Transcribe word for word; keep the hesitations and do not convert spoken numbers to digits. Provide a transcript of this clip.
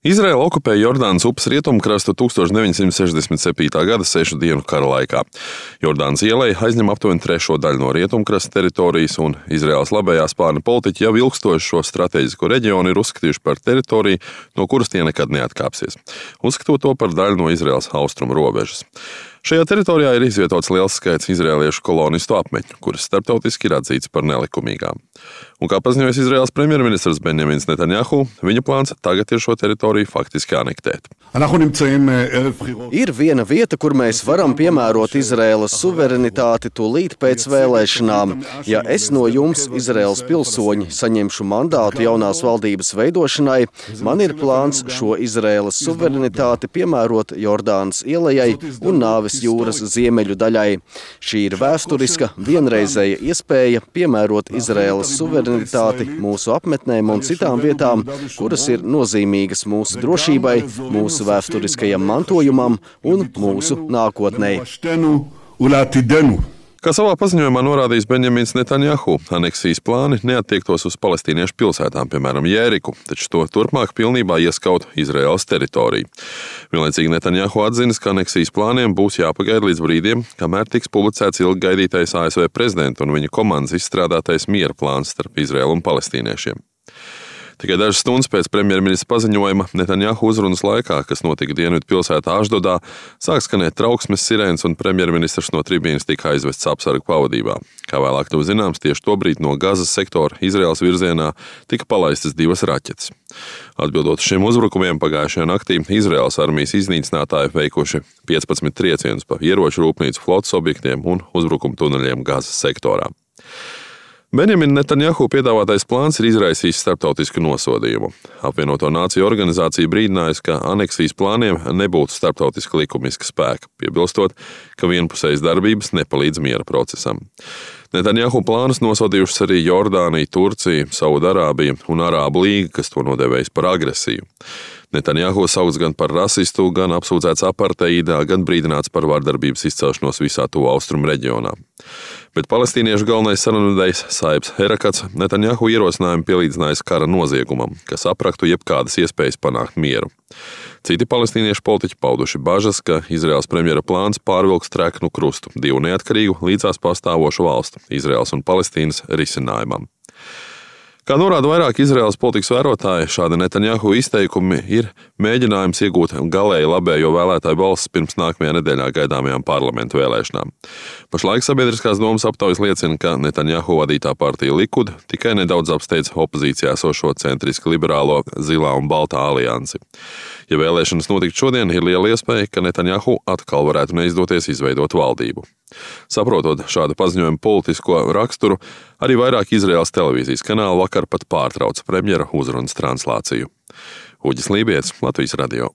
Izraela okupēja Jordānas upes rietumkrastu tūkstoš deviņsimt sešdesmit septītā gada sešu dienu kara laikā. Jordānas ieleja aizņem aptuveni trešo daļu no rietumkrasta teritorijas, un Izraēlas labējā spārna politiķi jau ilgstoši šo strateģisko reģionu ir uzskatījuši par teritoriju, no kuras tie nekad neatkāpsies, uzskatot to par daļu no Izraēlas austrumu robežas. Šajā teritorijā ir izvietots liels skaits izraēliešu kolonistu apmetņu, kuras starptautiski ir atzīts par nelikumīgām. Un kā paziņojis Izraēlas premjerministrs Benjamins Netanjahu, viņa plāns tagad ir šo teritoriju faktiski anektēt. Ir viena vieta, kur mēs varam piemērot Izraēlas suverenitāti tūlīt pēc vēlēšanām. Ja es no jums, Izraēlas pilsoņi, saņemšu mandātu jaunās valdības veidošanai, man ir plāns šo Izraēlas suverenitāti piemērot Jordānas ielejai un Nāves jūras ziemeļu daļai. Šī ir vēsturiska, vienreizēja iespēja piemērot Izraēlas suverenitāti mūsu apmetnēm un citām vietām, kuras ir nozīmīgas mūsu drošībai, mūsu vēsturiskajam mantojumam un mūsu nākotnei. Kā savā paziņojumā norādījis Benjamins Netanjahu, aneksijas plāni neattiektos uz palestīniešu pilsētām, piemēram, Jēriku, taču to turpmāk pilnībā ieskaut Izraēlas teritoriju. Vienlaicīgi Netanjahu atzinis, ka aneksijas plāniem būs jāpagaida līdz brīdim, kamēr tiks publicēts ilgi gaidītais A S V prezidenta un viņa komandas izstrādātais miera plāns starp Izraēlu un palestīniešiem. Tikai dažas stundas pēc premjerministra paziņojuma Netanjahu uzrunas laikā, kas notika dienvidu pilsētā Ašdodā, sāk skanēt trauksmes sirēnas un premjerministrs no tribīnes tika aizvests apsargu pavadībā. Kā vēlāk to zināms, tieši tobrīd no Gazas sektora Izraēlas virzienā tika palaistas divas raķetes. Atbildot uz šiem uzbrukumiem pagājušajā naktī, Izraēlas armijas iznīcinātāji veikuši piecpadsmit triecienus pa ieroču rūpnīcu flotes objektiem un uzbrukumu tuneļiem Gazas sektorā. Benjamina Netanjahu piedāvātais plāns ir izraisījis starptautisku nosodījumu. Apvienoto Nāciju organizācija brīdinājusi, ka aneksijas plāniem nebūtu starptautiski likumiska spēka, piebilstot, ka vienpusējas darbības nepalīdz miera procesam. Netanjahu plānus nosodījušas arī Jordānija, Turcija, Saudarābija un Arābu līga, kas to nodēvējis par agresiju. Netanjahu saukts gan par rasistu, gan apsūdzēts aparteidā, gan brīdināts par vardarbības izcelšanos visā tuvu austrumu reģionā. Bet palestīniešu galvenais sarunvedējs Saibs Herakats Netanjahu ierosinājumu pielīdzinājis kara noziegumam, kas apraktu jebkādas iespējas panākt mieru. Citi palestīniešu politiķi pauduši bažas, ka Izraēlas premjera plāns pārvilks treknu krustu divu neatkarīgu līdzās pastāvošu valstu, Izraēlas un Palestīnas risinājumam. Kā norāda vairāk Izraēlas politikas vērotāji, šādi Netanjahu izteikumi ir mēģinājums iegūt galēji labējo vēlētāju balsis pirms nākamajā nedēļā gaidāmajām parlamentu vēlēšanām. Pašlaik sabiedriskās domas aptaujas liecina, ka Netanjahu vadītā partija Likud tikai nedaudz apsteidz opozīcijā esošo centriski liberālo Zilā un Baltā aliansi. Ja vēlēšanas notikt šodien, ir liela iespēja, ka Netanjahu atkal varētu neizdoties izveidot valdību. Saprotot šādu paziņojumu politisko raksturu, arī vairāk Izraēlas televīzijas kanāli vakar pat pārtrauca premjera uzrunas translāciju. Uģis Lībijets, Latvijas radio.